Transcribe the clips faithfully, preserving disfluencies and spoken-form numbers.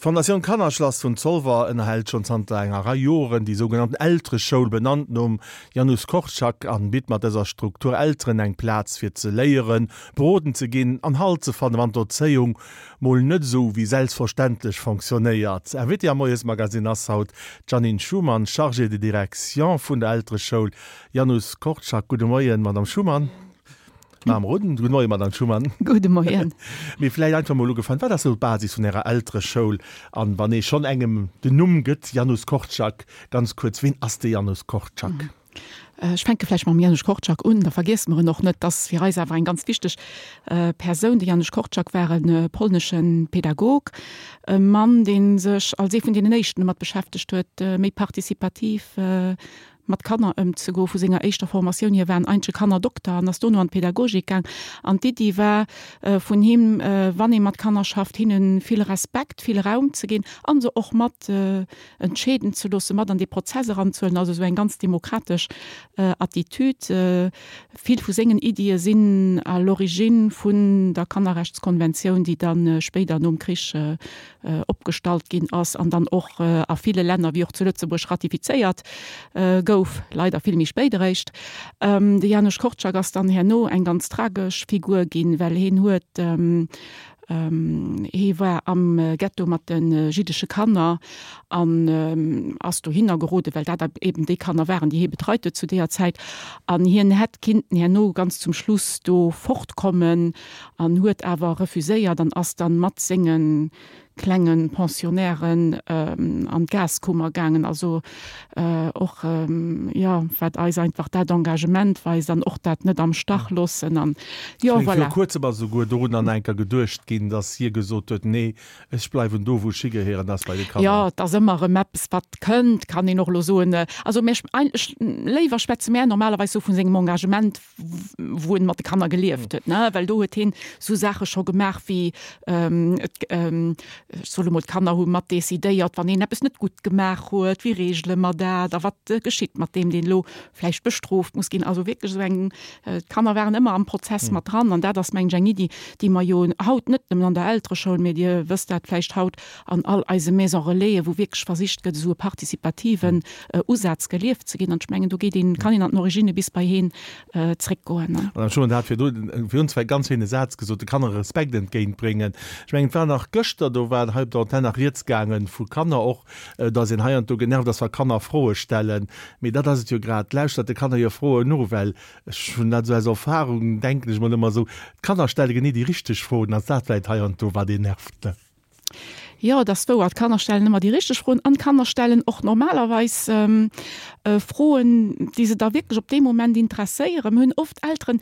D'Fondatioun Kannerschlass vun Zolwer ënnerhält schonn zanter enger Rei Joren déi sougenannten Eltereschoul, benannt nom Janusz Korczak, an bitt mat dëser Struktur Elteren eng Plaz fir ze léieren, beroden ze ginn an Halt ze fannen, wann d'Erzéiung mol net esou wéi selbstverständlech fonctionnéiert. Invitée am Moiesmagazine ass haut d'Jeannine Schumann, Chargée de direction vun der Eltereschoul Janusz Korczak. Gudde Moien, Madame Schumann. Madame Roden, gudde Moien, Madame Schumann. Gudde Moien. Mee vläicht einfach mol ugefaangen, Wat ass esou d'Basis vun Ärer Eltereschoul? An wann ee schonn engem den Numm gëtt, Janusz Korczak, ganz kuerz, ween ass de Janusz Korczak? Ech fänke vläicht mam Janusz Korczak un, da vergiesse mer en och net. Dat ass fir eis awer eng ganz wichteg Persoun. De Janusz Korczak war e polnesche Pädagog, e Mann, dee sech als ee vun deenen éischten domat beschäftegt huet, méi participativ mat Kanner ëmzegoen. Vu senger éischter Formatioun hier war en eigentleche Kannerdokter an ass dono an d'Pädagogik gaang. An d'Iddi war vun him, wann ee mat Kanner schafft, hinne vill Respekt, vill Raum ze ginn a se och mat entscheeden ze loossen, mat an dee Prozess eranzehuelen. Also esou eng ganz demokratesch Attitüd. Vill vu sengen Iddie sinn à l'origine vun der Kannerrechtskonventioun, déi da spéider nom Krich opgestallt ginn ass an dann och a ville Länner, wéi och zu Lëtzebuerg, ratifizéiert gouf, leider vill méi spéit eréischt. De Janusz Korczak ass dann herno eng ganz tragesch Figur ginn, well hien huet, hie war am Ghetto mat de jiddesche Kanner an ass dohinner geroden, well dat eben déi Kanner waren, déi hie betreit huet zu deeër Zäit. An hien hätt kinnten herno ganz zum Schluss do fortkommen an huet awer refuséiert an ass dann mat senge klenge Pensionnairen an d'Gaskummer gaangen. Also och, jo, wat eis einfach dat Engagement weist an och dat net am Stach loossen an, jo, voilà. Viru kuerzem ass esouguer dorun an enker geduecht ginn, dass hie gesot huet, Nee, ech bleiwen do, wou ech higehéieren, dat ass bei de Kanner. Jo, et ass ëmmer erëm eppes, wat kënnt, kann een och elo soen. Also mir, eigentlech, léiwer schwätze mär normalerweis sou vu sengem Engagement, wou en mat de Kanner gelieft huet, ne, well do huet hien sou Saache scho gemaach wéi, et, ech soe lo mol, d'Kanner hu mat decidéiert, wann een eppes net gutt gemaach huet, wéi reegele mer dat a wat geschitt mat deem, deen elo vläicht bestrooft muss ginn. Also wierklech esou eng, d'Kanner waren ëmmer am Prozess mat dran an dat ass, mengen ech, eng Iddi, déi mer jo haut net nëmmen an der Eltereschoul, mee Dir wësst dat vläicht haut an all eise Maison Relaisen, wou wierklech versicht gëtt, esou e participativen Usaz gelieft ze ginn. An ech mengen, do geet een, kann een an den Originne bis bei heen zréckgoen. Madame Schumann, Der hat virdu virun zwar e ganz schéine Saz gesot, de Kanner Respekt entgéintbréngen. Ech mengen, et war nach gëschter, do war hei op der Antenn nach rieds gaange vu Kanner och, dass een heiansdo genervt ass, wa Kanner Froe stellen. Mee dat ass et jo grad, lauschtert de Kanner hir Froen no, well ech hunn dat esou aus Erfahrung, denken ech mol ëmmer esou, d'Kanner stelle genee déi richteg Froen, ass dat vläicht heiansdo, wat een nervt, ne? Jo, et ass wouer, d'Kanner stellen ëmmer déi richteg Froen an d'Kanner stellen och normalerweis Froen, déi se da wierklech op dee Moment interesséieren. Mir hunn oft Elteren,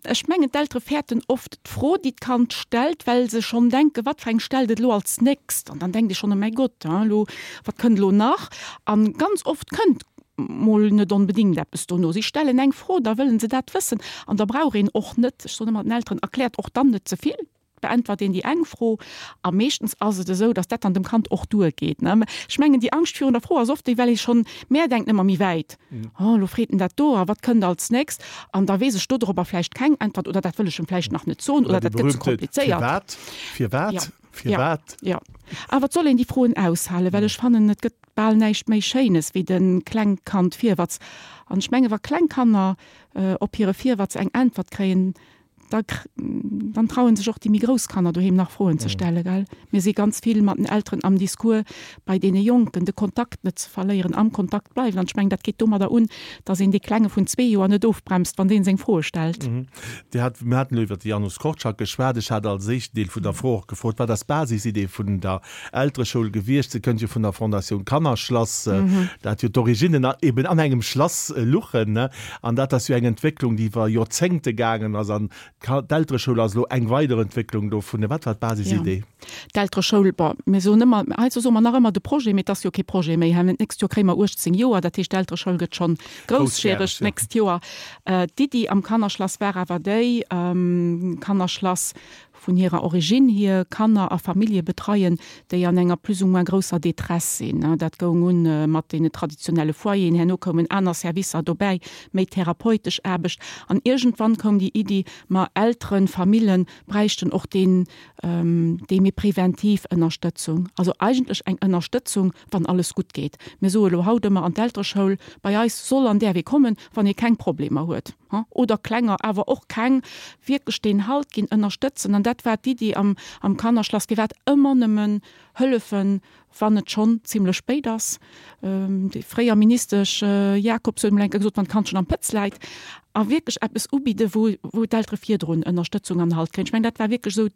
ech mengen d'Eltere fäerten oft d'Fro, déi d'Kand stellt, well se schonn denken, wat fir eng stellt et elo als nächst? An dann denkt ee schonn, oh mäi Gott, elo, wat kënnt elo nach? An ganz oft kënnt mol net onbedéngt eppes dono. Si stellen eng Fro, da wëllen se dat wëssen an da brauch een och net, ech soen ëmmer den Elteren, erkläert och dann net ze vill, beäntwert een déi eng Fro a meeschtens ass et esou, datt dat dann dem Kand och duergeet. Ech mengen, déi Angscht virun der Fro ass oft déi, well ee schonn, mär denken ëmmer méi wäit, oh elo freet en dat do a wat kënnt als nächst an da weess ech dodropper vläicht keng Äntwert oder dat wëll ech em vläicht nach net soen oder dat gëtt ze komplizéiert. Firwat? Firwat? Firwat? Jo, awer et soll een déi Froen aushalen, well ech fannen, et gëtt bal näischt méi Schéines wéi de Klengkand Virwatz. An ech menge wa kleng Kanner op hire Virwatz eng Äntwert kréien, da dann trauen sech och déi méi grouss Kanner doheem nach Froen ze stellen, gell. Mir si ganz vill mat den Elteren am Discours bei deene Jonken, de Kontakt net ze verléieren, am Kontakt bleiwen. An ech mengen, dat geet domadder un, datt een dee Klenge vun zwee Joer net ofbremst, wann deen seng Froe stellt. Dir hat, mir haten elo iwwert de Janusz Korczak geschwat. Ech hat als éischten Deel vun der Fro och gefrot, Wat ass d'Basisidee vun der Eltereschoul gewiescht? Se kënnt jo vun der Fondatioun Kannerschlass, dat jo d'Originnen eben an engem Schlass luchen, ne? An dat ass jo eng Entwécklung, déi iwwer Joerzéngte gaangen ass. An d'Eltereschoul ass elo eng weider Entwécklung dovun. Wat war d'Basisidee? D'Eltereschoul, bon, mir soen ëmmer, heiansdo soe mer nach ëmmer de Projet, mee et ass jo kee Projet méi. D'nächst Joer kréie mer uechtzéng Joer, dat heescht d'Eltereschoul gëtt schonn groussjäreg d'nächst Joer. D'Iddi am Kannerschlass war awer déi, Kannerschlass vun hirer Origine hier Kanner a Famillje betreien, déi an enger plus ou moins grousser Détresse sinn. Dat goung un mat deene traditionelle Foyeren, herno koumen aner Servicer dobäi, méi therapeutesch Aarbecht. An iergendwann koum déi Iddi, ma Elteren, Famillen bräichten och deen, déi méi preventiv Ënnerstëtzung. Also eigentlech eng Ënnerstëtzung, wann alles gutt geet. Mir soe lo haut ëmmer an d'Eltereschoul bei eis soll an däerf ee kommen, wann ee keng Problemer huet, oder klenger, awer och keng, wierklech deen Halt ginn, ënnerstëtzen. An dat war d'Iddi am am Kannerschlass, firwat ëmmer nëmmen hëllefen, wann et schonn zimlech spéit ass. Déi fréier Ministesch Jacobs huet emol eng Kéier gesot, wann d'Kand schonn am Pëtz läit. A wierklech eppes ubidden, wou wou d'Eltere virdrun Ënnerstëtzung an Halt kréien. Ech mengen, dat war wierklech esou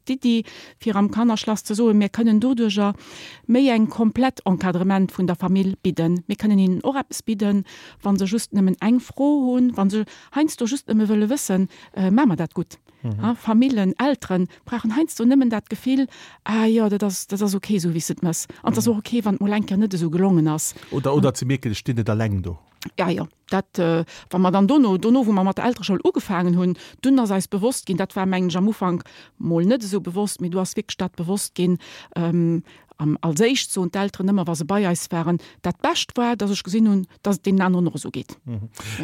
d'Iddi, fir am Kannerschlass ze soen, mir kënnen doduerjer méi eng komplett Encadrement vun der Famill bidden. Mir kënnen hinnen och eppes bidden, wa se just nëmmen eng Fro hunn, wa se heiansdo just nëmme wëlle wëssen, Maache mer dat gutt? Famillen, Eltere brauchen heiansdo nëmmen dat Gefill, Ah jo, dat ass, dat ass ok esou, wéi s de et méchs. An et ass och ok, wann et mol eng Kéier net esou gelongen ass. Oder, oder ze mierken, ech stinn net alleng do. Ja, jo, dat, wa mer dann dono, dono wou mer mat der Eltereschoul ugefaangen hunn, dunn ass eis bewosst ginn, dat war mengen ech am Ufank mol net esou bewosst, mee du ass wierklech dat bewosst ginn, am, als éischt soen d'Elteren ëmmer, wa se bei eis waren, dat Bescht war, datt ech gesinn hunn, datt et deenen aneren och esou geet.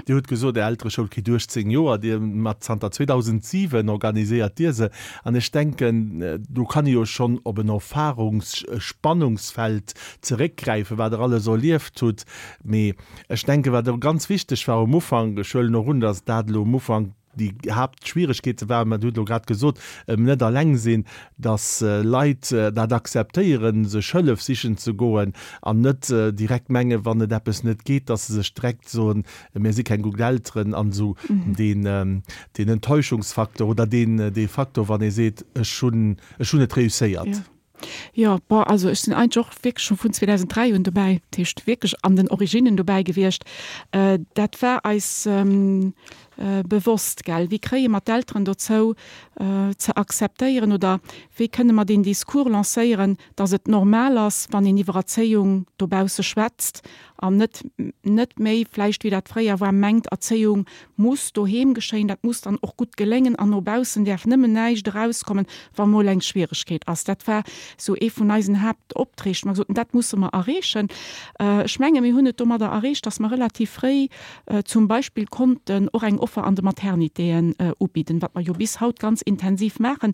Dir hutt gesot, Är Eltereschoul kritt uechtzéng Joer, Dir mat zanter zweedausendsiwen organiséiert Dir se. An ech denken, do kann ee jo schonn op en Erfahrungsspannungsfeld zeréckgräifen, wat Der alles erlieft hutt. Mee ech denken, wat och ganz wichteg war um Ufank, ech huelen och un, datt dat elo um Ufank déi Haaptschwieregkeete waren, mä Dir hutt elo grad gesot, ëm net alleng sinn, datt Leit dat akzeptéieren, sech Hëllef sichen ze goen an net direkt mengen, wann et eppes net geet, datt se sech direkt soen, mir si keng gutt Elteren an esou deen deen Enttäuschungsfaktor oder deen dee Faktor, wann ee seet, ech hunn ech hunn et réusséiert. Jo, bon, also ech sinn eigentlech och wierklech scho vun zweedausenddräi un dobäi, dat heescht wierklech an den Originnen dobäi gewiescht. Dat war eis bewosst, gell. Wéi kréie mer d'Elteren dozou ze akzeptéieren oder wéi kënne mer deen Discours lancéieren, datt et normal ass, wann een iwwer Erzéiung dobausse schwätzt an net net méi vläicht, wéi dat fréier war, mengt, Erzéiung muss doheem geschéien, dat muss dann och gutt geléngen an no baussen däerf nëmmen näischt erauskommen, wa mol eng Schwieregkeet ass. Dat war esou ee vun eisen Haaptopträg, wou mer gesot hunn, dat musse mer erreechen. Ech menge mir hunn et domadder erreecht, datt mer relativ fréi zum Beispill konnten och eng Offer an de Maternitéen ubidden, wat mer jo bis haut ganz intensiv maachen.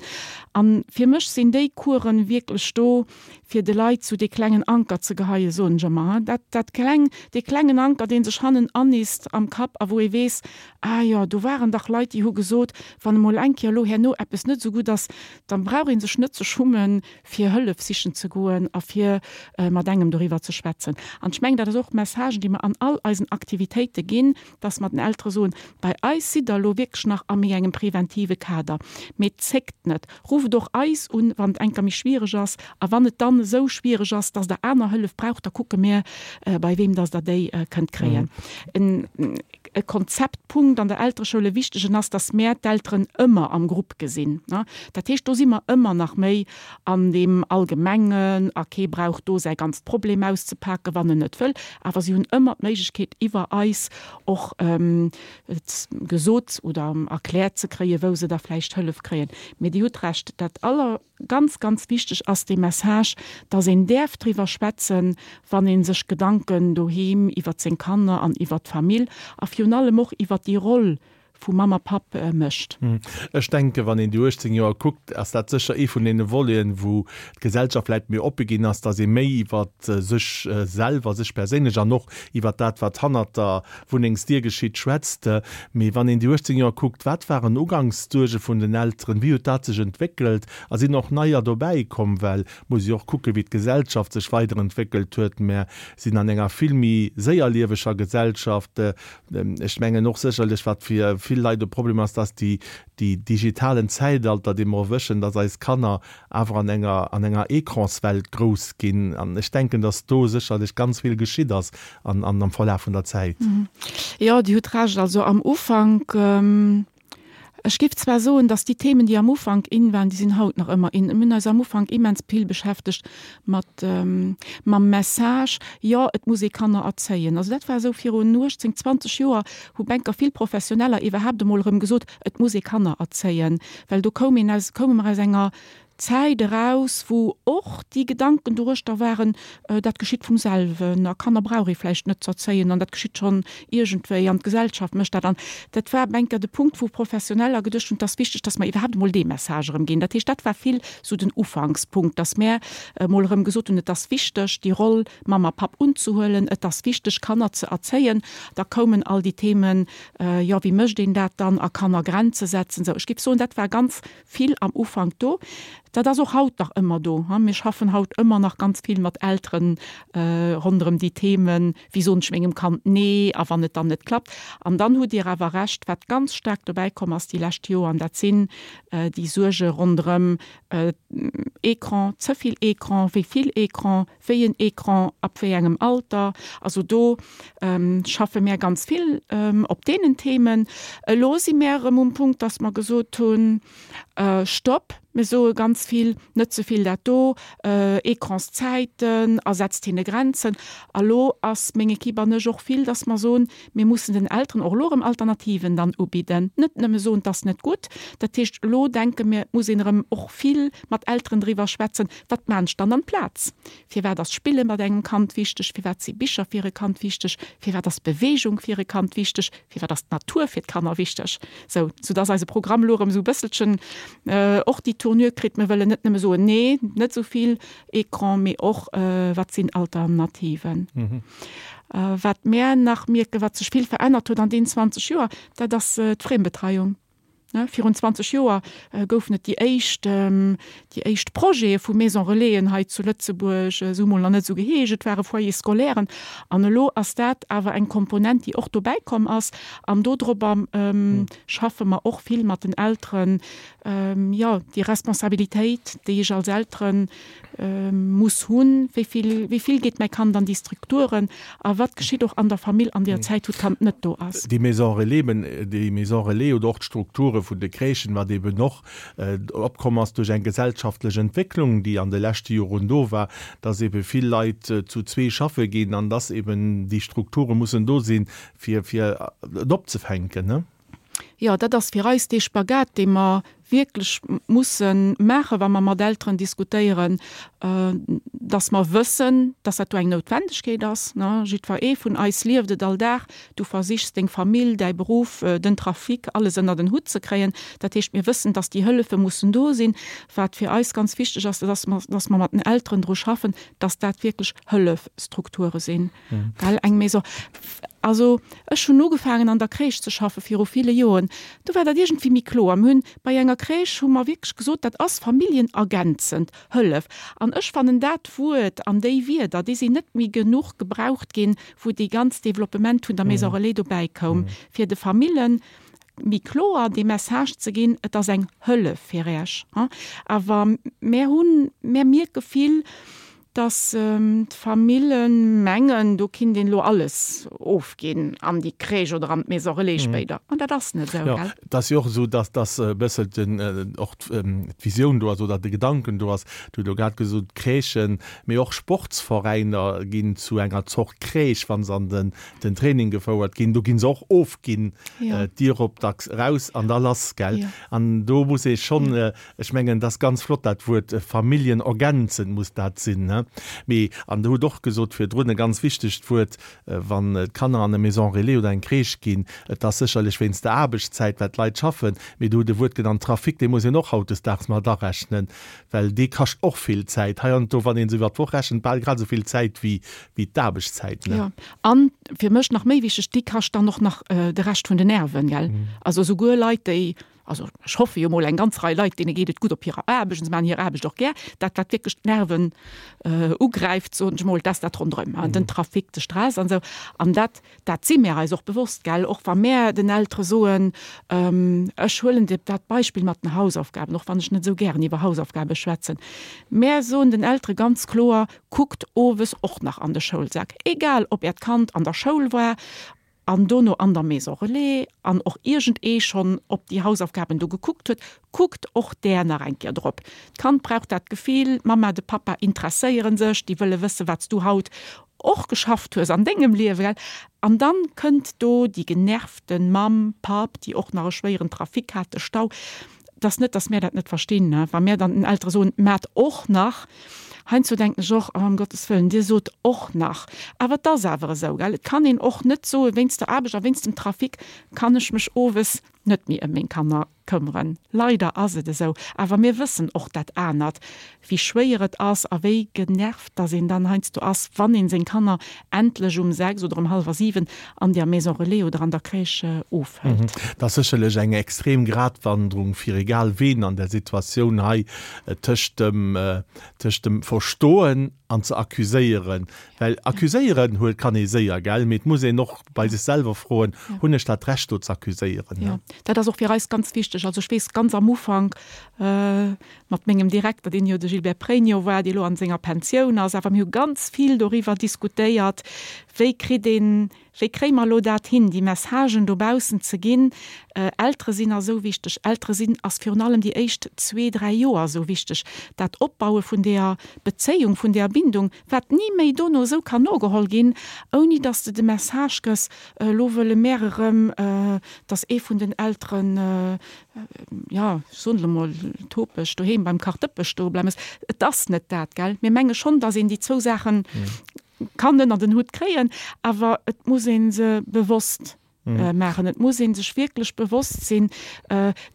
A fir mech sinn déi Coursen wierklech do, fir de Leit sou dee klengen Anker ze geheien, soen ech ëmmer, dat, dat kleng, dee klengen Anker, dee sech hannen annisst am Kapp a wou ee weess, Ah jo, do waren dach Leit, déi hu gesot, wann emol eng Kéier elo herno eppes net esou gutt ass, da brauch ee sech net ze schummen, fir Hëllef sichen ze goen a fir mat engem doriwwer ze schwätzen. An ech mengen, dat ass och d'Message, déi mer an all eisen Aktivitéite ginn, dass mer den Eltere soen, Bei eis sidd Der elo wierklech nach a méi engem preventive Kader, mee zéckt net, rufft och eis un, wann et eng Kéier méi schwiereg ass. A wann et dann esou schwiereg ass, dass Der aner Hëllef braucht, da kucke mir, bei weem dass Der déi kënnt kréien. E Konzeptpunkt an der Eltereschoul, e wichtegen, ass, dass mär d'Elteren ëmmer am Grupp gesinn. Dat heescht, do si mer ëmmer nach méi an deem Allgemengen a kee brauch do säi ganzt Problem auszepaken, wann en net wëll. Awer si hunn ëmmer d'Méiglechkeet, iwwer eis och et gesot oder erkläert ze kréien, wou se da vläicht Hëllef kréien. Mee Dir hutt Recht, dat aller, ganz, ganz wichteg ass dee Message, dass een däerf driwwer schwätzen, wann ee sech Gedanken doheem iwwert seng Kanner an iwwert d'Famill a virun allem och iwwert déi Roll vu Mamm a Papp mécht. Ech denken, wann een déi uechtzéng Joer kuckt, ass dat sécher ee vun deene Voleten, wou d'Gesellschaft vläicht méi oppe ginn ass, dass ee méi iwwert sech selwer, sech perséinlech an och iwwert dat, wat hannert der Wunnengsdier geschitt, schwätzt. Mee wann een déi uechtzéng Joer kuckt, wat waren Ugankssuerge vun den Elteren, wéi huet dat sech entwéckelt a sinn och neier dobäi komm? Well et muss ee jo och kucken, wéi d'Gesellschaft sech weiderentwéckelt huet. Mär sinn an enger vill méi séierlieweger Gesellschaft. Ech mengen och sécherlech, wat fir vill Leit e Problem ass, dass déi, déi digitalen Zäitalter, dee mer erwëschen, dass eis Kanner awer an enger, an enger Ecranswelt grouss ginn. An ech denken, dass do sécherlech ganz vill geschitt ass an, an am Verlaf vun der Zäit. Jo, Dir hutt Recht. Also am Ufank Ech géif zwar soen, dass déi Themen, déi am Ufank in waren, déi sinn haut nach ëmmer in. Mir hunn eis am Ufank immens vill beschäftegt mat mam Message, jo, et muss ee Kanner erzéien. Also dat war esou virun uechtzéng, zwanzeg Joer, hu Banker, vill Professioneller iwwerhaapt emol erëm gesot, et muss ee Kanner erzéien, well do koum een aus, koume mer aus enger Zäit eraus, wou och déi Gedanken doruechter waren, dat geschitt vum selwen a Kanner brauch ee vläicht net z'erzéien an dat geschitt schonn iergendwéi an d'Gesellschaft mécht dat. An dat war enker de Punkt, wou Professioneller geduecht hunn, et ass wichteg, datt mer iwwerhaapt emol dee Message erëm ginn. Dat heescht, dat war vill esou den Ufankspunkt, datt mär emol erëm gesot hunn, et ass wichteg, déi Roll Mamm a Papp unzehuelen, et ass wichteg, Kanner ze erzéien. Da koumen all déi Themen, jo, wéi mécht een dat dann a Kanner Grenze setzen. Esou, ech géif soen, dat war ganz vill am Ufank do. Dat ass och haut nach ëmmer do. Mir schaffen haut ëmmer nach ganz vill mat Elteren ronderëm déi Themen, wéi soen ech mengem Kand Nee a wann et dann net klappt. An dann hutt Dir awer Recht, wat ganz staark dobäi komm ass déi lescht Joer, an dat sinn déi Suerge ronderëm Ecran, ze vill Ecran, wéi vill Ecran, wéi en Ecran, ab wéi engem Alter. Also do schaffe mär ganz vill op deenen Themen. Elo si mär erëm um Punkt, dass mer gesot hunn, Stopp, mir soe ganz vill, net ze vill dat do, Ecranszäiten a setzt hinne Grenzen. A lo ass meng Equipe an ech och vill, dass mer soen, mir mussen den Elteren och elo erëm Alternativen dann ubidden, net nëmme soen, 't ass net gutt. Dat heescht, elo denke mir, et muss een erëm och vill mat Elteren driwwer schwätzen, wat maan ech dann amplaz? Firwat ass Spille mat engem Kand wichteg? Firwat si Bicher fir e Kand wichteg? Firwat ass Beweegung fir e Kand wichteg? Firwat ass d'Natur fir d'Kanner wichteg? Sou, soudass eise Programm elo erëm esou e bësselchen och déi Tournure kritt, mir wëllen net nëmme soen, nee, net esou vill Ecran, mee och, wat sinn Alternativen. Wat mär nach mierken, wat sech vill verännert huet an deenen zwanzeg Joer, dat ass d'Friembetreiung. Virun zwanzeg Joer goufen et déi éischt, déi éischt Projete vu Maison-relaisen hei zu Lëtzebuerg. Se hu mol nach net esou geheescht, et ware Foyers scolairen. An elo ass dat awer eng Komponent, déi och dobäi komm ass. An dodrobber schaffe mer och vill mat den Elteren, jo, déi Responsabilitéit, déi ech als Eltere muss hunn, wéi vill, wéi vill geet mäi Kand an déi Strukturen a wat geschitt och an der Famill an deer Zäit, wou d'Kand net do ass. Déi Maison relais, déi Maison relais oder och d'Strukture vun de Crèchen, wat eben och opkomm ass duerch eng gesellschaftlech Entwécklung, déi an de leschte Joren do war, dass ebe vill Leit zu zwee schaffe ginn an dass eben déi Strukture mussen do sinn, fir, fir et opzefänken, ne? Jo, dat ass fir eis dee Spagat, dee mer wierklech musse maachen, wa mer mat Elteren diskutéieren, dass mer wëssen, dass dat do eng Noutwendegkeet ass. Jiddwer ee vun eis lieft et all Dag, du versichs deng Famill, däi Beruff, den Trafic, alles ënnert en Hutt ze kréien. Dat heescht, mir wëssen, dass déi Hëllefe mussen do sinn. Wat fir eis ganz wichteg ass, dat ass, dass mer mat den Elteren dru schaffen, dass dat wierklech Hëllefstrukture sinn. Well eng Maison, also ech hunn ugefaangen an der Crèche ze schaffe viru ville Joren, do war dat iergendwéi méi kloer. Mir hunn bei enger Crèche hu mer wierklech gesot, dat ass familljenergänzend Hëllef. An ech fannen dat Wuert an déi Wierder, déi sinn net méi genuch gebraucht ginn, wou dee ganz Developpement vun der Maison relais dobäi koum, fir de Famillen méi kloer dee Message ze ginn, et ass eng Hëllef fir Iech. Awer mär hunn, mär mierke vill, dass d'Famille mengen, do kinnt een elo alles ofginn an déi Crèche oder an d'Maison relais spéider. An dat ass net esou, gell? Et ass jo och esou, dass dass e bësselchen och d'Visioun do ass oder de Gedanken do ass, Du hutt elo grad gesot, Crèchen, mee och Sportsveräiner ginn zu enger Zort Crèche, wa se an den den Training gefouert ginn. Do gi se och ofginn, d'Dier op, dacks eraus an da lass, gell? An do muss ee schonn, ech mengen, dat ass ganz flott, dat Wuert familljenergänzend muss dat sinn, ne? Mee, an Der hutt och gesot virdrun, e ganz wichtegt Wuert, wann d'Kanner an e Maison relais oder eng Crèche ginn, et ass sécherlech wéinst der Aarbechtszäit, well d'Leit schaffen, mee Der hutt e Wuert genannt, Trafic, dee muss een och hautdesdaags mat arechnen, well dee kascht och vill Zäit. Heiansdo, wann ee se iwwer d'Woch rechent, bal grad esou vill Zäit wéi d'Aarbechtszäit, ne? Jo, an fir mech nach méi wichteg, déi kascht dann och nach de Rescht vun den Nerven, gell? Also souguer Leit, déi Also ech hoffe jo mol eng ganz Rei Leit, deene geet et gutt op hirer Aarbecht an se maachen hir Aarbecht och gär. Dat wat wierklech d'Nerven ugräift, soen ech mol, dat ass dat ronderëm, den Trafic, de Stress an esou. An dat, dat si mär eis och bewosst, gell, och wa mär den Eltere soen, ech huelen dat Beispill mat den Hausaufgaben, och wann ech net esou gären iwwer Hausaufgabe schwätzen, mär soen den Eltere ganz kloer, kuckt owes och nach an de Schoulsak, egal ob äert Kand an der Schoul war, an dono an der Maison relais an och iergendee schonn op déi Hausaufgaben do gekuckt huet, kuckt och där nach eng Kéier drop. D'Kand brauch dat Gefill, d'Mamma, de Pappa interesséiere sech, déi wëlle wësse wat s du haut och geschafft hues an dengem Liewe, gell? An dann kënnt do déi genervten Mamm, Papp, déi och nach e schwéieren Trafic hat, de Stau. Et ass net, dass mär dat net verstinn, ne, wa mär dann den Eltere soen, Maacht och nach. Heiansdo denken ech och, oh, ëm Gottes Wëllen, Dir sot och nach. Awer et ass awer esou, gell. Et kann een och net soen, wéinst der Aarbecht a wéinst dem Trafic kann ech mech owes net méi ëm meng Kanner këmmeren. Leider ass et esou. Awer mir wëssen och dat anert, wéi schwéier et ass a wéi genervt dass een dann heiansdo ass, wann een seng Kanner endlech um sechs oder um hallwer siwen an der Maison relais oder an der Crèche ofhëlt. Dat ass sécherlech eng extrem Gratwanderung fir egal ween an der Situatioun hei, tëscht dem, tëscht dem Verstoen an ze accuséieren. Well accuséieren huet, kann ee séier, gell, mee et muss een och bei sech selwer froen, Hunn ech dat Recht do ze accuséieren? Jo, dat ass och fir eis ganz wichteg. Also ech weess ganz am Ufank mat mengem Direkter, deen jo de Gilbert Pregno war, dee lo an senger Pensioun ass, awer mir hu ganz vill doriwwer diskutéiert, wéi kritt een, wéi kréie mer elo dat hin, déi Messagen dobaussen ze ginn, Eltere sinn ass esou wichteg, Eltere sinn ass virun allem déi éischt zwee, dräi Joer esou wichteg, dat Opbaue vun deeër Bezéiung, vun deeër Bindung, wat ni méi dono esou kann nogeholl ginn, ouni dass de de Message gëss, elo wëlle mär erëm, dass ee vun den Elteren, jo, ech soen elo mol topeg, doheem beim Kachdëppe stoe bleiwen muss. Et ass net dat, gell. Mir menge schonn, dass een déi zwou Saache kann ënner den Hutt kréien, awer et muss ee se bewosst maachen. Et muss ee sech wierklech bewosst sinn,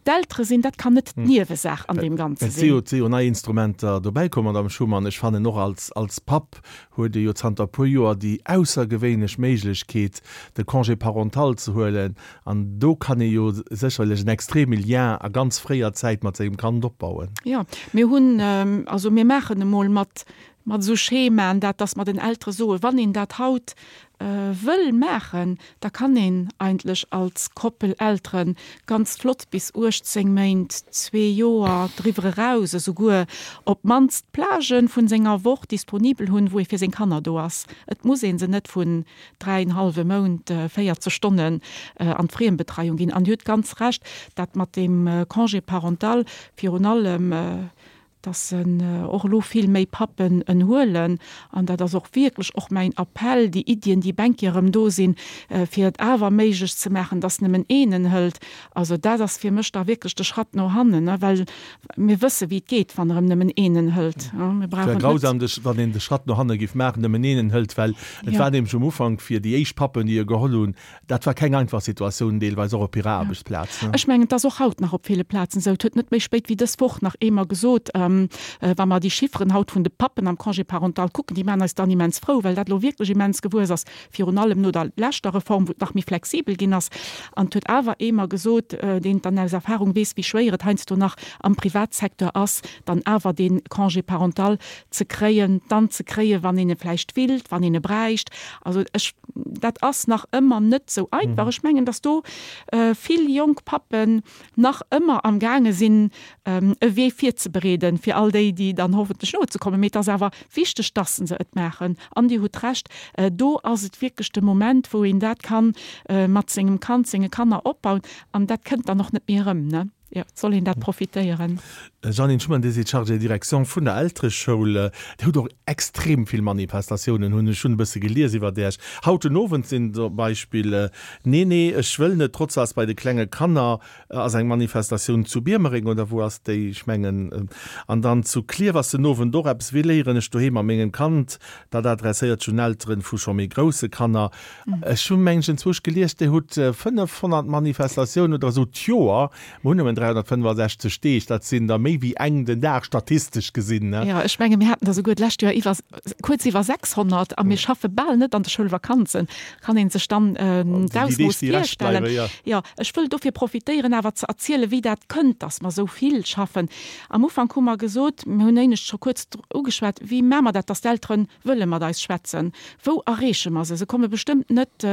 d'Eltere sinn, dat kann net d'Niewesaach an deem Ganze sinn. Et si jo, et si jo nei Instrumenter dobäi komm, Madamm Schuman. Ech fannen och als, als Papp huet ee jo zanter e puer Joer déi aussergewéinlech Méiglechkeet, de Congé parental ze huelen. An do kann ee jo sécherlech en extreme Lien a ganz fréier Zäit mat sengem Kand opbauen. Jo, mir hunn, also mir maachen emol mat mat esou Schemaen, dat, dass mer den Eltere soen, wann een dat haut wëll maachen, da kann een eigentlech als Koppel Eltere ganz flott bis uechtzéng Méint, zwee Joer, driwwer eraus esouguer op d'mannst Plagë vun senger Woch disponibel hunn, wou ee fir seng Kanner do ass. Et muss ee se net vun dräienhallwe Mount véierzeg Stonnen an d'Friembetreiung ginn. An Dir hutt ganz Recht, dat mat deem Congé parental, virun allem dass en och elo vill méi Pappen en huelen, an dat ass och wierklech och mäin Appell, déi Iddien, déi bänki erëm do sinn, fir et awer méiglech ze maachen, dass nëmmen een en hëlt, also dat ass fir mech da wierklech de Schratt no hannen, well mir wësse wéi et geet, wann erëm nëmmen een en hëlt. Mir Et wär brauchen net. grausam, wann een de Schratt no hanne géif maachen, nëmmen een en hëlt, well et war nämlech um Ufank fir déi éischt Pappen, déi e geholl hunn, Dat war keng einfach Situatioun, deelweis och op hirer Aarbechtsplaz. Ech mengen, et ass och haut nach op ville Plazen esou. Et huet net méi spéit wéi dës Woch nach ee mer gesot, wa mer déi Chifferen haut vun de Pappen am Congé parental kucken, déi maachen eis dann immens frou, well dat elo wierklech immens gewuess ass, virun allem no der leschter Reform, wou et nach méi flexibel ginn ass. An et huet awer ee mer gesot, deen dann aus Erfahrung weess, wéi schwéier et heiansdo nach am Privatsecteur ass, dann awer dee Congé parental ze kréien, dann ze kréien, wann een e vläicht willt, wann een e bräicht. Also ech, dat ass nach ëmmer net esou einfach. Ech mengen, datt do vill jonk Pappen nach ëmmer amgaange sinn, e Wee virzebereeden, fir all déi, déi dann hoffentlech nozekommen. Mee et ass awer wichteg, datt se et maachen. An Dir hutt Recht, do ass et wierklech de Moment, wou een dat ka mat sengem Kand, senge Kanner opbauen. An dat kënnt dann och net méi erëm, ne? Jo, et soll een dat profitéieren. Jeannine Schuman, Dir sidd Chargée de direction vun der Eltereschoul. Dir hutt och extrem vill Manifestatiounen, hunn ech hunn e bësse gelies iwwert Iech. Haut den Owend sinn zum Beispill Nee, nee, ech wëll net, trotz ass bei de klenge Kanner ass eng Manifestatioun zu Biermereng, oder wou ass déi? Ech mengen, an dann zu Klierf ass den Owend och eppes, Wéi léieren ech doheem a mengem Kand? Dat adresséiert sech un Elteren vu scho méi grousse Kanner. Ech hu mengen ech enzwousch gelies, Dir hutt fënnefhonnert Manifestatiounen oder esou d'Joer. Mer hunn nëmmen dräihonnertfënnefasechzeg Deeg, dat sinn der méi wéi eng den Dag, statistesch gesinn. Jo, ech menge mir haten der souguer d'lescht Joer iwwer, kuerz iwwer sechshonnert a mir schaffe bal net an de Schoulvakanzen. Kann ee sech dann d'Ausmooss virstellen. Jo, ech wëll dofir profitéieren awer ze erzielen, wéi dat kënnt, dass mer esou vill schaffen. Am Ufank hu mer gesot, mir hunn éinescht scho kuerz ugeschwat, wéi maache mer dat, dass d'Eltere wëlle mat eis schwätzen? Wou erreeche mer se? Se komme bestëmmt net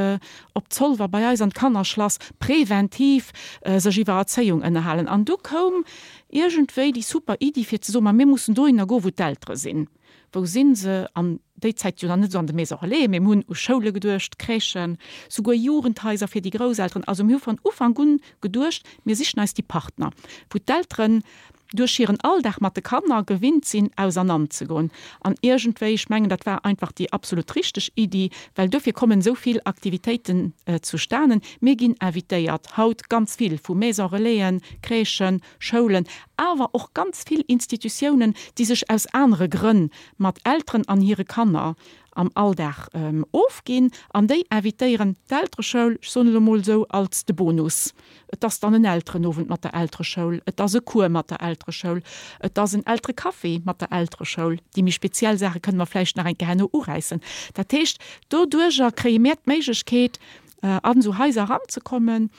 op Zolwer bei eis an d'Kannerschlass preventiv sech iwwer Erzéiung ënnerhalen. halen. An du koum iergendwéi déi super Iddi fir ze soen, ma mir mussen dohinner goen, wou d'Eltere sinn. Wou sinn se? An déi Zäit jo nach net esou an de Maisons Relais, mee mir hunn u Schoule geduecht, Crèchen, souguer Jugendhaiser fir déi Grousselteren. Also mir hu von Ufank un geduecht, mir sichen eis déi Partner, wou d'Elteren duerch hiren Alldag mat de Kanner gewinnt sinn, ausernanzegoen. An iergendwéi, ech mengen, dat war einfach déi absolut richteg Iddi, well dofir kommen esou vill Aktivitéiten zustanen. Mir ginn invitéiert haut ganz vill vu Maisons Relaisen, Crèchen, Schoulen, awer och ganz vill Institutiounen, déi sech aus anere Grënn mat Elteren an hire Kanner am Alldag ofginn an déi invitéieren d'Eltereschoul, ech soen elo mol esou, als de Bonus. Et ass dann en Elterenowend mat der Eltereschoul, et ass e Cours mat der Eltereschoul, et ass en Elterecafé mat der Eltereschoul. Déi méi speziell Saache kënne mer vläicht nach eng Kéier herno uräissen. Dat heescht, doduerjer kréie mär d'Méiglechkeet, an esou Haiser eranzekommen.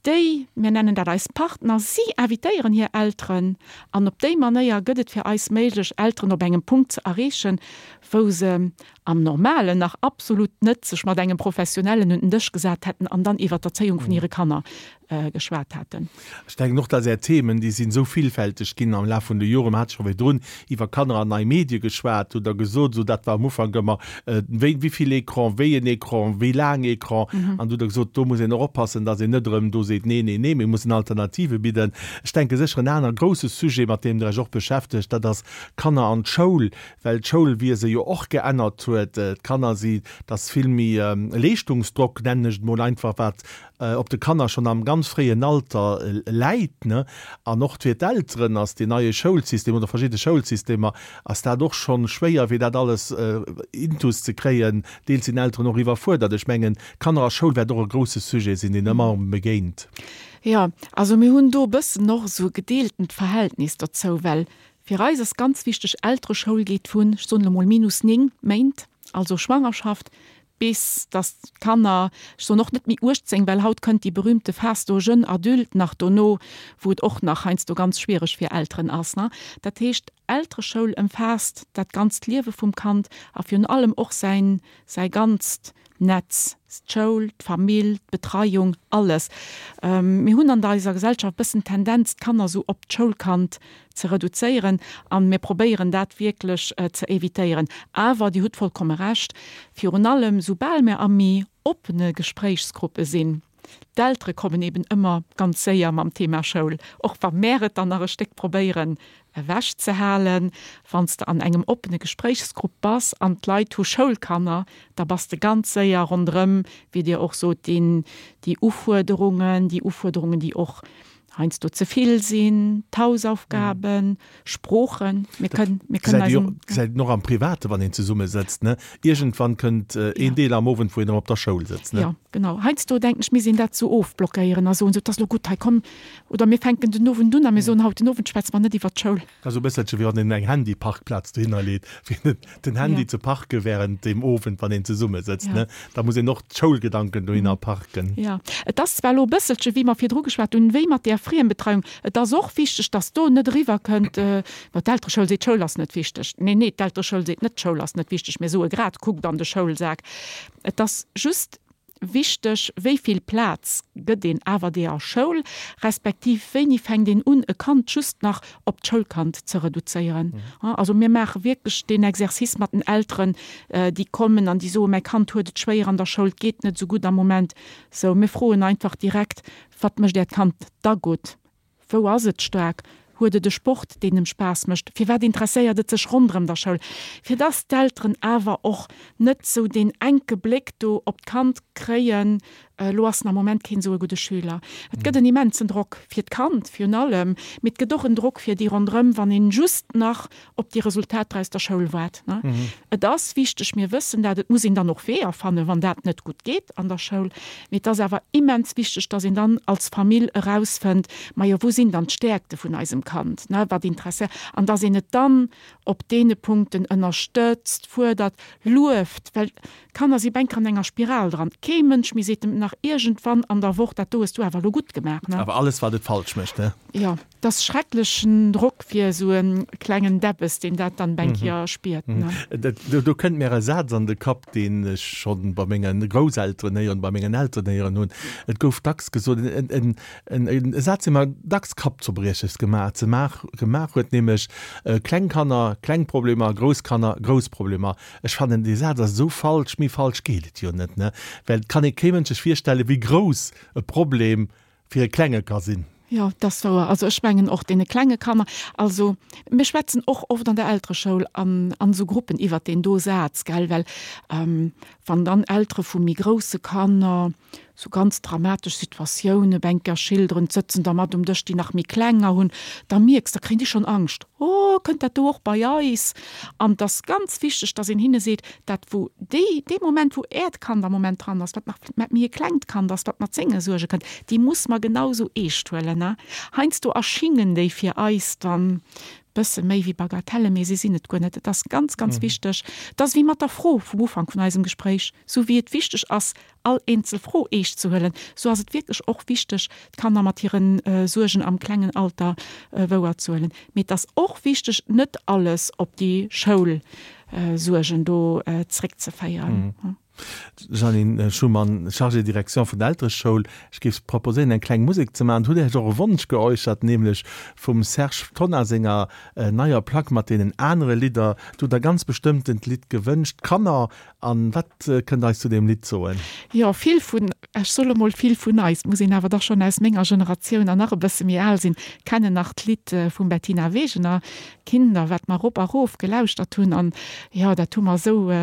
Déi, mir nennen dat eis Partner, si invitéieren hir Elteren an op déi Manéier gëtt et fir eis méiglech, Elteren op engem Punkt ze erreechen, wou se am Normalen nach absolut net sech mat engem Professionellen un den Dësch gesat hätten an dann iwwer d'Erzéiung vun hire Kanner geschwat hätten. Ech denken och, dass Är Themen, déi sinn esou villfälteg ginn am Laf vun de Joren. Mer hate scho virdrun iwwer Kanner an nei Medie geschwat, hutt Der gesot, esou dat war am Ufank ëmmer, wéi, wéi vill Ecran, wéi en Ecran, wéi laang Ecran. An du hutt Der gesot, do muss een och oppassen, dass een net erëm do seet, nee, nee, nee, mir mussen Alternative bidden. Ech denke sécher en aner grouse Sujet, mat deem Der Iech och beschäftegt, dat ass Kanner an d'Schoul, well d'Schoulwiese jo och geännert huet. D'Kanner si, dass vill méi Leeschtungsdrock, nennen ech et mol einfach, wat op de Kanner schonn am ganz fréien Alter läit, ne? An och fir d'Elteren ass deen neie Schoulsystem oder verschidde Schoulsystemer ass dat och schonn schwéier, fir dat alles intus ze kréien. Deels sinn Elteren och iwwerfuerdert. Ech mengen, Kanner a Schoul wäert och e grouse Sujet sinn, deen ëmmer erëm begéint. Jo, also mir hunn do e bëssen och esou e gedeeltent Verhältnis dozou, well fir eis ass ganz wichteg, Eltereschoul geet vun, ech soen elo mol, minus néng Méint, also Schwangerschaft, bis dass d'Kanner, ech soen och net méi uechtzéng, well haut kënnt déi berühmte Phase do jeune adulte nach dono, wou et och nach heiansdo ganz schwiereg fir Elteren ass, ne. Dat heescht, Eltereschoul ëmfaasst dat ganzt Liewe vum Kand a virun allem och säin, säi ganzt Netz, d'Schoul, d'Famill, d'Betreiung, alles. Mir hunn an eiser Gesellschaft e bëssen d'Tendenz, d'Kanner esou op d'Schoulkand ze reduzéieren a mir probéieren dat wierklech ze évitéieren. Awer Dir hutt vollkomme Recht, virun allem soubal mir a méi oppene Gespréichsgruppe sinn, d'Eltere kommen eben ëmmer ganz séier mam Thema Schoul, och wa mär et dann nach e Stéck probéieren ewechzehalen. Wann s de an engem oppene Gespréichsgrupp bass an d'Leit hu Schoulkanner, da bass de ganz séier ronderëm, wéi Dir och sot, deen, déi Ufuerderungen, déi Ufuerderungen, déi och heiansdo ze vill sinn, d'Hausaufgaben, Sproochen. Mir kënnen, mir kënnen eis. Gesäit een och am Private, wann een zesumme sëtzt, ne? Iergendwann kënnt een Deel am Owend, wou een erëm op der Schoul sëtzt, ne? Jo, genau. Heiansdo denken ech, misst een dat esou ofblockéieren a soen, sou, 't ass elo gutt hei, komm, oder mir fänken den Owend un a mir soen, haut den Owend schwätze mer net iwwert d'Schoul. Dat ass esou e bësselche wéi wann een eng Handyparkplaz dohinner leet, fir den Handy ze parke während deem Owend, wann een zesumme sëtzt, ne? Da muss een och d'Schoulgedanken dohinner parken. Jo, et ass zwar elo e bësselche wéi mer virdru geschwat hunn, wéi mat där Friembetreiung. Et ass och wichteg, dass do net eriwwerkënnt, ma d'Eltereschoul seet, d'Schoul ass net wichteg. Neen, nee, d'Eltereschoul seet net, d'Schoul ass net wichteg. Mir soe grad, kuckt an de Schoulsak. Et ass just wichteg, wéi vill Plaz gëtt een awer deeër Schoul, respektiv wéini fänkt een un, e Kand just nach op d'Schoulkand ze reduzéieren. Also mir maache wierklech deen Exercice mat den Elteren, déi kommen an déi soen, mäi Kand huet et schwéier an der Schoul, et geet net esou gutt am Moment. Sou, mir froen einfach direkt, Wat mécht Äert Kand da gutt? Wou ass et staark? Huet et e Sport, deen em Spaass mécht? Firwat interesséiert et sech ronderëm der Schoul? Fir dass d'Elteren awer och net sou deen enke Bléck do op d'Kand kréien, Elo ass en am Moment keen esou e gudde Schüler. Et gëtt en immensen Drock fir d'Kand virun allem, mee et gëtt och en Drock fir déi ronderëm, wann een just nach op déi Resultater aus der Schoul waart. Et ass wichteg, mir wëssen dat, et muss een dann och Weeër fannen, wann dat net gutt geet an der Schoul, mee et ass awer immens wichteg, dass een dann als Famill erausfënnt, majo wou sinn dann d'Stäerkte vun eisem Kand, wat interesséiert, an dass een et dann op deene Punkten ënnerstëtzt, fuerdert, lueft, well d'Kanner si bänker an enger Spiral dran. Kee Mënsch méi seet em nach iergendwann an der Woch, dat do hues du awer elo gutt gemaach. Awer alles, wat et falsch mécht, ne? Jo, Et ass schrecklechen Drock fir esou e klengen Deppes, deen dat dann eng Kéier spiert, ne. Do, do kënnt mir e Saz an de Kapp, deen ech schonn bei menge Grousselteren héieren, bei mengen Elteren héieren hunn. Et gouf dacks gesot, en, en, en, e Saz, dee mer dacks Kappzerbrieches gemaach, ze maach, gemaach huet, nämlech, Kleng Kanner, kleng Problemer, grouss Kanner, grouss Problemer. Ech fannen, dee Saz ass esou falsch, méi falsch geet et jo net, ne? Well et kann ee kee Mënsch sech virstellen, wéi grouss e Problem fir e Klenge ka sinn. Jo, dat ass wouer. Also ech mengen och deene klenge Kanner, also mir schwätzen och oft an der Eltereschoul an an esou Gruppen iwwert deen do Saz, gell, well wann dann Eltere vu méi grousse Kanner sou ganz dramatesch Situatioune Bänker schilderen, d'sëtzen da mat um Dësch, déi nach méi klenger hunn, da mierks, da kréien déi schonn Angscht, Oh, kënnt dat do och bei eis? An et ass ganz wichteg, dass een hinne seet, dat wou déi, dee Moment wou äert Kand am Moment dran ass, wat nach wat méi e klengt Kand ass, wat mat senge Suerge kënnt, déi muss mer genau sou eescht huelen. Heiansdo erschingen déi fir eis dann bësse méi wéi Bagatellen, mee si sinn et guer net. Et ass ganz, ganz wichteg, et ass wéi mat der Fro vum Ufank vun eisem Gespréich, sou wéi et wichteg ass, all eenzel Fro eescht ze huelen, sou ass et wierklech och wichteg, d'Kanner mat hire Suergen am klengen Alter wouer ze huelen. Mee et ass och wichteg, net alles op déi Schoulsuergen do zréckzeféieren. Jeanine Schumann, Chargée de direction vun der Eltereschoul, ech géif proposéieren, eng kleng Musek ze maachen. Hutt Dir och e Wonsch geäussert, nämlech vum Serge Tonnar senger neier Plack mat deenen anere Lidder. Do hutt Der ganz bestëmmtent Lidd gewënscht, Kanner. An wat kënnt Der eis zu deem Lidd soen? Jo, vill vun, ech soe mol vill vun eis, muss een awer dach schonn aus menger Generatioun an nach e bësse méi al sinn, kennen nach d'Lidd vum Bettina Wegener, Kinder, wat mer rop a rof gelauschtert hunn. An jo, dat hu mer esou,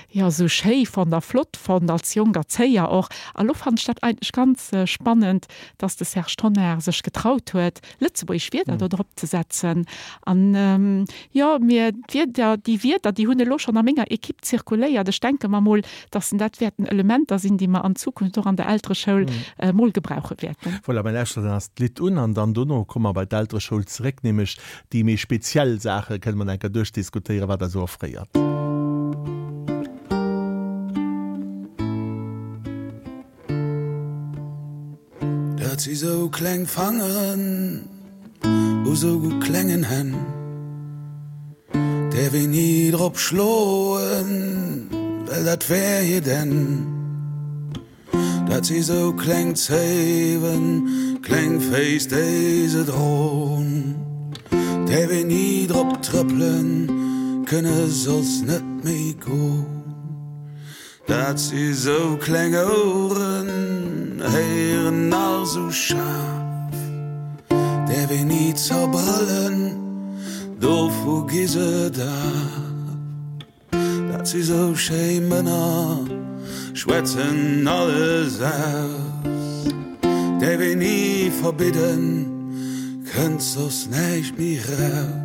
jo, esou schéi fonnt a flott fonnt, als jonk Erzéier och. A lo fannen ech dat eigentlech ganz spannend, dass de Serge Tonnar sech getraut huet, lëtzebuergesch Wierder do drop ze setzen. An jo, mir, d'Wierder, déi Wierder, déi hunn elo schonn a menger Equipe zirkuléiert. Ech denke mer mol, dass dat wäerten Elementer sinn, déi mer an Zukunft och an der Eltereschoul mol gebrauche wäerten. Voilà, mir lauschteren eis d'Lidd un an dann dono komme mer bei d'Eltereschoul zeréck, nämlech déi méi speziell Saache kënne mer dann enker duerchdiskutéieren, wat Der esou offréiert. Dat si sou kleng Fangeren u sou klengen Hänn, däerf een ni drop schloen, well dat wär hiert Enn. Dat si sou kleng Zéiwen, kleng Féiss déi se dron, däerf een ni drop trëppelen, kënne soss net méi gon. Dat si sou kleng Oueren, héieren nach sou schaarf, däerf een ni zerbrëllen, dovu gi se daf. Dat si sou schéi Mënner, schwätzen alles aus, däerf een ni verbidden, kënnt soss näischt méi raus.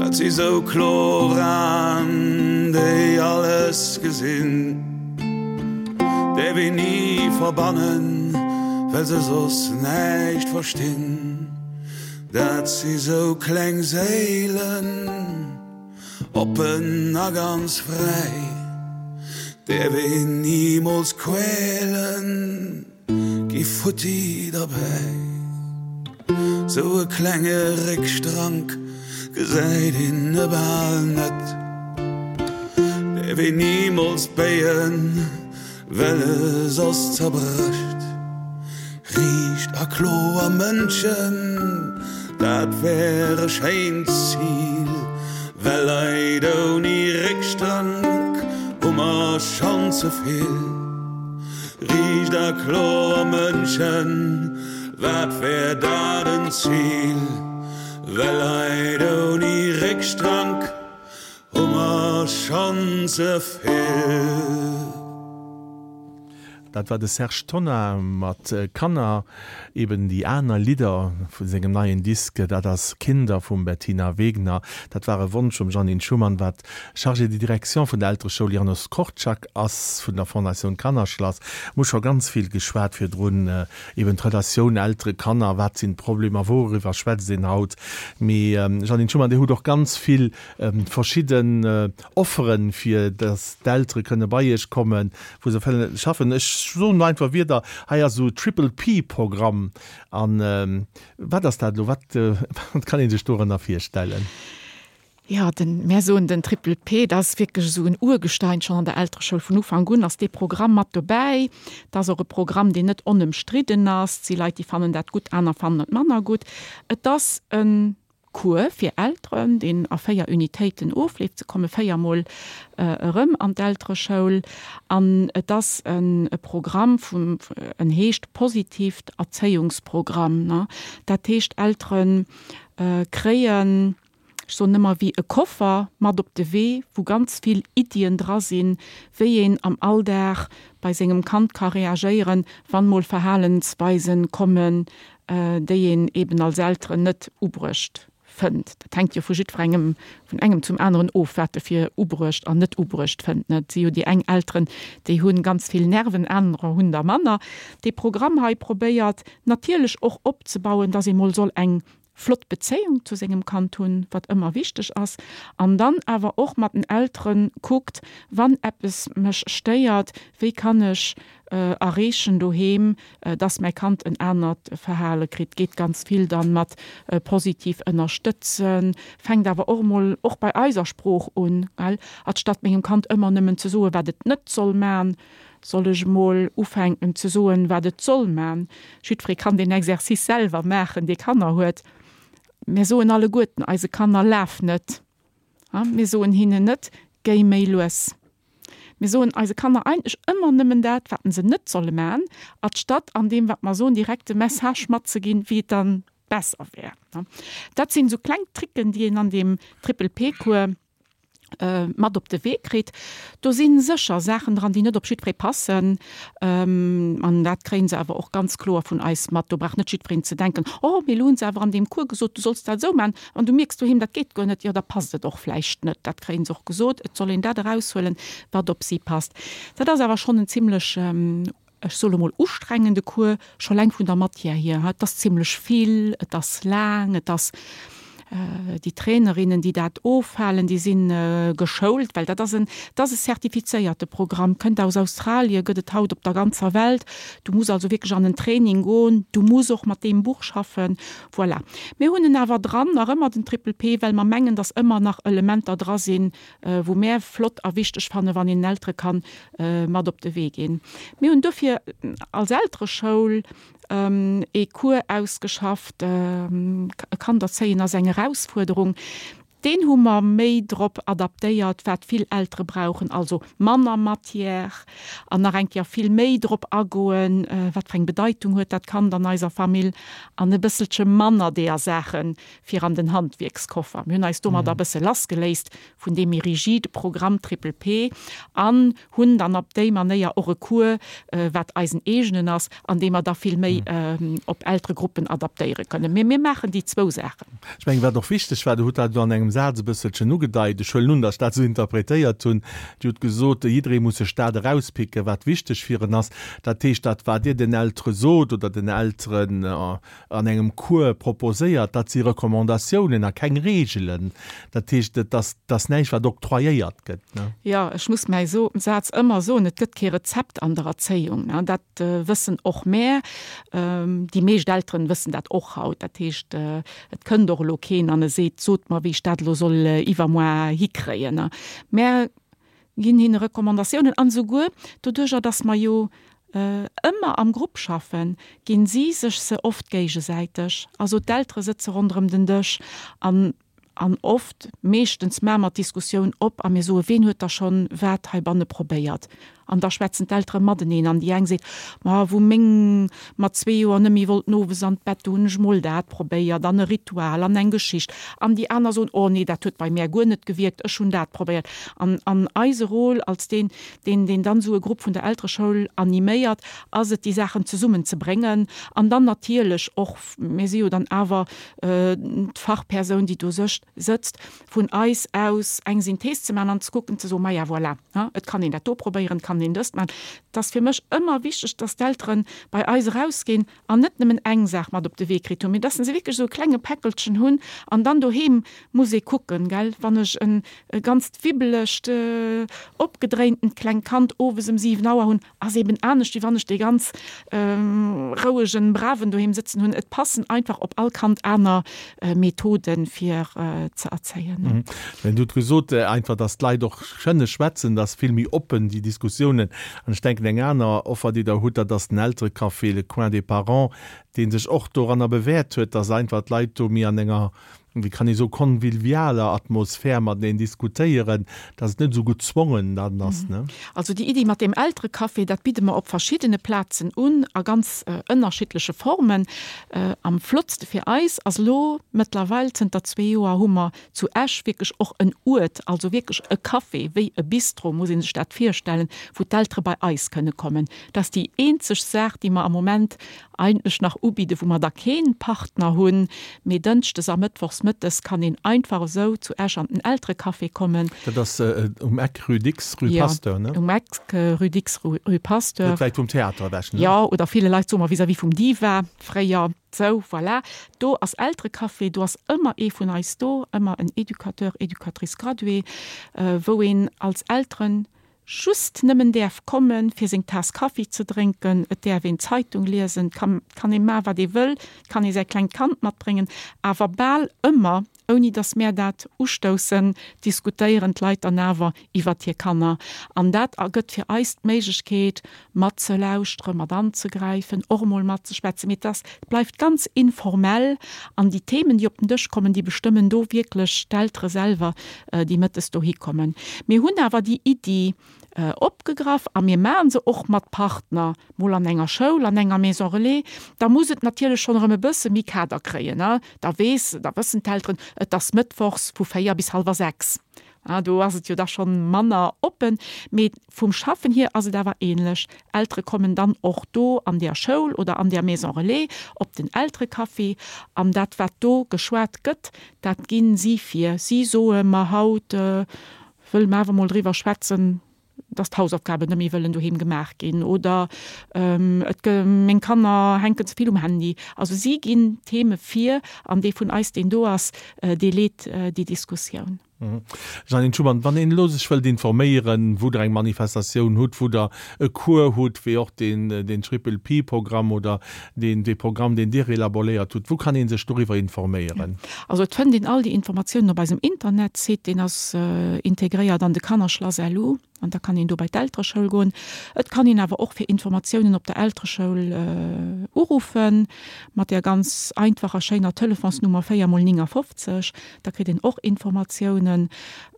Dat si sou kloer Aen, déi alles gesinn, däerf een ni verbannen, well se soss näischt verstinn. Dat si sou kleng Séilen. Oppen a ganz fräi, däerf een nimools quälen, gi futti derbäi. Sou e klenge Réckstrank gesäit een e bal net, däerf een nimools béien. Well e soss zerbrécht. Riicht a kloer Mënschen, dat wär e schéint Zil, well Leit ouni Réckstrank hu mer schonn ze vill. Riicht a kloer Mënschen, wat wär dat en Zil, well Leit ouni Réckstrank Hu mer schonn ze vill. Dat war de Serge Tonnar mat Kanner, eben déi aner Lidder vu sengem neien Disk, dat ass Kinder vum Bettina Wegner. Dat war e Wonsch vum Jeanine Schumann, wat Chargée de direction vun der Eltereschoul Janusz Korczak ass, vun der Fondatioun Kannerschlass. Mir hu scho ganz vill geschwat virdrun, eben d'Relatioun Eltere-Kanner, wat sinn d'Problemer, wouriwwer schwätzt een haut. Mee Jeanine Schumann, Dir hutt och ganz vill verschidden Offeren, fir datt d'Eltere kënne bei Iech kommen, wou se wëllen schaffen. Ech soen einfach Wierder, hei ass esou Triple P Programm an wat ass dat elo, wat wat kann ee sech dorënner virstellen? Jo, den, mär soen den Triple P, dat ass wierklech esou en Urgestein schonn an der Eltereschoul. Vun Ufank un ass dee Programm mat dobäi. Dat ass och e Programm, deen net onëmstridden ass. Et si Leit, déi fannen dat gutt, aner fannen et manner gutt. Et ass e Cours fir Elteren, deen a véier Unitéiten ofleeft. Se komme véier Mol erëm an d'Eltereschoul. An et ass e Programm vum, en heescht Positiivt Erzéiungsprogramm. Dat heescht, Eltere kréien, ech soen ëmmer, wéi e Koffer mat op de Wee, wou ganz vill Iddien dra sinn, wéi een am Alldag bei sengem Kand ka reagéieren, wann mol Verhalensweisen kommen, déi een eben als Elteren net ubruecht fënnt. Dat hänkt jo vu jiddwerengem, vun engem zum aneren of, wat e fir ubruecht an net ubruecht fënnt. Et si jo déi eng Elteren, déi hu ganz vill Nerven, anerer hunn der manner. Dee Programm hei probéiert natierlech och opzebauen, dass ee mol soll eng flott Bezéiung zu sengem Kand hunn, wat ëmmer wichteg ass, an dann awer och mat den Eltere kuckt, wann eppes mech stéiert, wéi kann ech erreechen doheem, dass mäi Kand en anert Verhale kritt. Geet ganz vill dann mat positiv ënnerstëtzen, fänkt awer och emol och bei eiser Sprooch un, well anstatt mengem Kand ëmmer nëmmen ze soen, wat et net soll man, soll ech emol ufänken ze soen, wat et soll man. Jiddweree kann deen Exercice selwer maachen, dee Kanner huet. Mir soen alleguerten eise Kanner, Laf net! Mir soen hinnen net, Géi méi lues! Mir soen eise Kanner eigentlech ëmmer nëmmen dat, wat se net solle man, anstatt an deem, wat mer soen, direkt de Message matzeginn, wéi et dann besser wär. Dat sinn esou kleng Tricken, déi een an deem Triple-P-Cours mat op de Wee kritt. Do si sécher Saachen dran, déi net op jiddweree passen. An dat kréie se awer och ganz kloer vun eis mat. Do brauch net jiddwereen ze denken, Oh, mee elo hunn se awer an deem Cours gesot, du solls dat esou maachen, an du mierks doheem, dat geet guer net. Jo, da passt et och vläicht net. Dat kréie se och gesot. Et soll een dat eraushuelen, wat op si passt. Dat ass awer schonn en zimlech ech soe lo mol, ustrengende Cours, scho eleng vun der Matière hier. Et ass zimlech vill, et ass laang, et ass déi Trainerinnen, déi dat ofhalen, déi si geschoult, well dat ass en, dat ass e zertifizéierte Programm, kënnt aus Australien, gëtt et haut op der ganzer Welt. Du muss also wierklech an en Training goen, du muss och mat deem Buch schaffen. Voilà. Mir hunn en awer dran, nach ëmmer den Triple P, well mer mengen, datt ëmmer nach Elementer dra sinn, wou mär flott a wichteg fannen, wann een den Eltere kann mat op de Wee ginn. Mir hunn dofir als Eltereschoul ee Cours ausgeschafft, E Kand erzéien ass eng Erausfuerderung. Deen hu mer méi drop adaptéiert, wat vill Eltere brauchen, also manner Matière an nach eng Kéier vill méi drop agoen, wat fir eng Bedeitung huet dat Kand an eiser Famill an e bësselche manner deeër Saache fir an den Handwierkskoffer. Mir hunn eis domadder e bësse lassgeléist vun deem méi rigide Programm Triple P an hunn dann op déi Manéier och e Cours, wat eisen eegenen ass, an dee mer da vill méi op Elteregruppen adaptéiere kënnen. Mee mir maachen déi zwou Saachen. Ech mengen, wat och wichteg war, Dir hutt dat elo an engem Saz e bësselchen ugedeit, ech huelen un, datt ech dat esou interpretéiert hunn, Dir hutt gesot, jidderee muss sech dat erauspicken, wat wichteg fir en ass. Dat heescht, dat wat Dir den Eltere sot oder den Elteren an engem Cours proposéiert, dat si Recommandatiounen a keng Reegelen. Dat heescht, et ass, et ass näischt, wat octroyéiert gëtt, ne? Jo, ech muss mäi Saz ëmmer soen, Et gëtt kee Rezept an der Erzéiung. Dat wëssen och mär. Déi meescht Elteren wëssen dat och haut. Dat heescht, et kënnt och elo keen an e seet, Sot mer, wéi ech dat elo soll iwwermoar hikréien. Mär ginn hinne Recommandatiounen an esouguer doduerjer, dass mer jo ëmmer am Grupp schaffen, ginn si sech se oft géigesäiteg. Also d'Eltere sëtze ronderëm den Dësch an An oft, meeschtens maache mer d'Diskussioun op a mir soen, Ween huet da schonn wat heibanne probéiert? An da schwätzen d'Eltere mateneen an déi eng seet, Ma wou meng mat zwee Joer net méi wollten owes an d'Bett, do hunn ech mol dat probéiert an e Ritual an eng Geschicht. An déi aner soen, Oh nee, dat huet bei mär guer net gewierkt, ech hunn dat probéiert. An an eise Rôle als deen, deen deen dann esou e Grupp vun der Eltereschoul animéiert, ass et, déi Saachen zesummen ze bréngen an dann natierlech och, mir si jo dann awer d'Fachpersoun, déi do sëtzt, vun eis aus eng Synthees ze maachen an ze kucken, ze soen, Maja, voilà, et kann een dat do probéieren, et kann een dëst maachen. Et ass fir mech ëmmer wichteg, dass d'Eltere bei eis erausginn an net nëmmen eng Saach mat op de Wee kritt hunn, mee dass se wierklech esou e klenge Päckelchen hunn an dann doheem muss ee kucken, gell, wann ech e ganzt wibbelegt, opgedréintent klengt Kand owes ëm siwen Auer hunn, ass eben anescht, wéi wann ech dee ganz rouegen, braven doheem sëtzen hunn. Et passen einfach op all Kand aner Methoden, fir ze erzéien. Mä Dir hutt gesot einfach, dass d'Leit och kënne schwätzen, dass vill méi oppen déi Diskussiounen. An ech denken, eng aner Offer, déi Der hutt, dat ass den Elterecafé, le Coin des parents, dee sech och doranner bewäert huet, dass einfach d'Leit do méi an enger wéi kann ee soen, convivialer Atmosphär mateneen diskutéieren, dass et net esou gezwongen dann ass, ne? Also déi Iddi mat deem Elterecafé, dat bidde mer op verschiddene Plazen un, a ganz ënnerschiddleche Formen. Am flottste fir eis ass elo mëttlerweil, zënter zwee Joer hu mer zu Esch wierklech och en Uert, also wierklech e Café, wéi e Bistro muss ee sech dat virstellen, wou d'Eltere bei eis kënne kommen. Dat ass déi eenzeg Saach, déi mer am Moment eigentlech nach ubidden, wou mer da kee Partner hunn, mee dënschdes a mëttwochs mëttes kann een einfach esou zu Esch an den Elterecafé kommen. Dat ass um Eck Rue Dicks, Rue Pasteur, ne? Jo, um Eck Rue Dicks, Rue Pasteur. Net wäit vum Theater ewech, ne? Jo, oder ville Leit soe mer vis-à-vis vum Diva fréier. Sou, voilà. Do ass Elterecafé, do ass ëmmer ee vun eis do, ëmmer en Educateur, Educatrice graduée, wou een als Elteren just nëmmen däerf kommen, fir seng Taass Kaffi ze drénken, et däerf een Zeitung liesen, et kann, kann ee maachen, wat ee wëll, et kann ee säi klengt Kand matbréngen, awer bal ëmmer, ouni datt mär dat ustoussen, diskutéieren d'Leit dann awer iwwert hir Kanner. An dat ergëtt fir eis d'Méiglechkeet, matzelauschteren, mat anzegräifen, och emol matzeschwätzen. Mee et ass, et bleift ganz informell an déi Themen, déi op den Dësch kommen, déi bestëmmen do wierklech d'Eltere selwer, déi mëttes dohi kommen. Mir hunn awer déi Iddi opgegraff a mir maache se och mat Partner, mol an enger Schoul, an enger Maison relais. Da muss et natierlech schonn erëm e bësse méi Kader kréien. Da weess, da wëssen d'Elteren, et ass mëttwochs vu véier bis hallwer sechs. Do ass et jo da schonn manner oppen. Mee vum Schaffen hier ass et awer ähnlech. Eltere kommen dann och do an där Schoul oder an där Maison relais op den Elterecafé an dat, wat do geschwat gëtt, dat gi si vir. Si soe mer, haut wëlle mer awer mol driwwer schwätzen, dass d'Hausaufgaben net méi wëllen doheem gemaach ginn oder et meng Kanner hänken ze vill um Handy. Also si ginn d'Theme vir an dee vun eis, deen do ass, dee leet déi Diskussioun. Jeannine Schumann, Wann een elo sech wëllt informéieren, wou Der eng Manifestatioun hutt, wou Der e Cours hutt, wéi och deen, deen Triple P-Programm oder deen, dee Programm, deen Dir elaboréiert hutt, wou kann ee sech doriwwer informéieren? Also et fënnt een all déi Informatiounen op eisem Internetsite, deen ass integréiert an de Kannerschlass-LU. An da kann een do bei d'Eltereschoul goen. Et kann een awer och fir Informatiounen op der Eltereschoul uruffen, mat där ganz einfacher, schéiner Telefonsnummer véier mol néngafofzeg. Da kritt een och Informatiounen.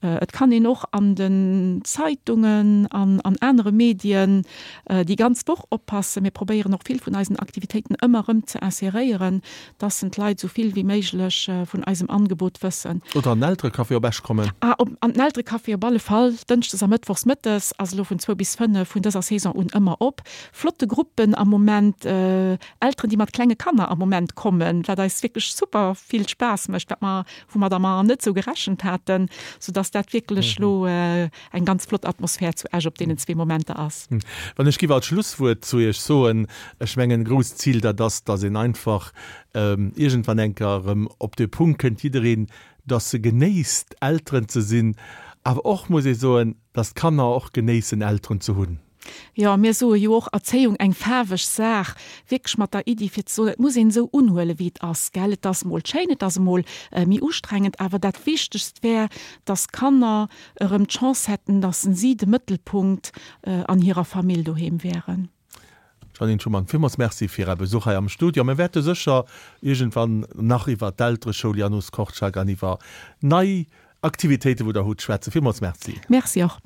Et kann een och an den Zeitungen an an anere Medien déi ganz Woch oppassen. Mir probéieren och vill vun eisen Aktivitéiten ëmmer erëm ze inseréieren, dass en d'Leit esou vill wéi méiglech vun eisem Angebot wëssen. Oder an den Elterecafé op Esch kommen. Ah, op, an den Elterecafé op alle Fall, dënschdes a mëttwochs mëttes ass elo vun zwou bis fënnef vun dëser Saison un ëmmer op. Flotte Gruppen am Moment, Elteren, déi mat klenge Kanner am Moment kommen, wat eis wierklech super vill Spaass mécht, wat mer, wou mer da mar net esou gerechent haten, soudass dat wierklech elo eng ganz flott Atmosphär zu Esch op deenen zwee Momenter ass. Wann ech giff als Schlusswuert zu Iech soen, ech mengen, e grousst Zil, dat ass, dass een einfach iergendwann eng Kéier erëm op de Punkt kënnt, jiddereen, dass e genéisst, Elteren ze sinn, awer och muss ee soen, dass d'Kanner och genéissen, Elteren ze hunn. Jo, mir soe jo och, Erzéiung eng faarweg Saach, wierklech mat der Iddi fir ze soen, et muss een esou unhuelen, wéi et ass, gell. Et ass emol schéin, et ass emol méi ustrengend, awer dat Wichtegst wär, dass d'Kanner erëm d'Chance hätten, dass si de Mëttelpunkt an hirer Famill doheem wären. Jeannine Schumann, villmools Merci fir Är Besuch hei am Studio. Mir wäerte sécher iergendwann nach iwwer d'Eltereschoul Janusz Korczak an iwwer nei Aktivitéiten, wou Der hutt, schwätzen. Villmools Merci. Merci och.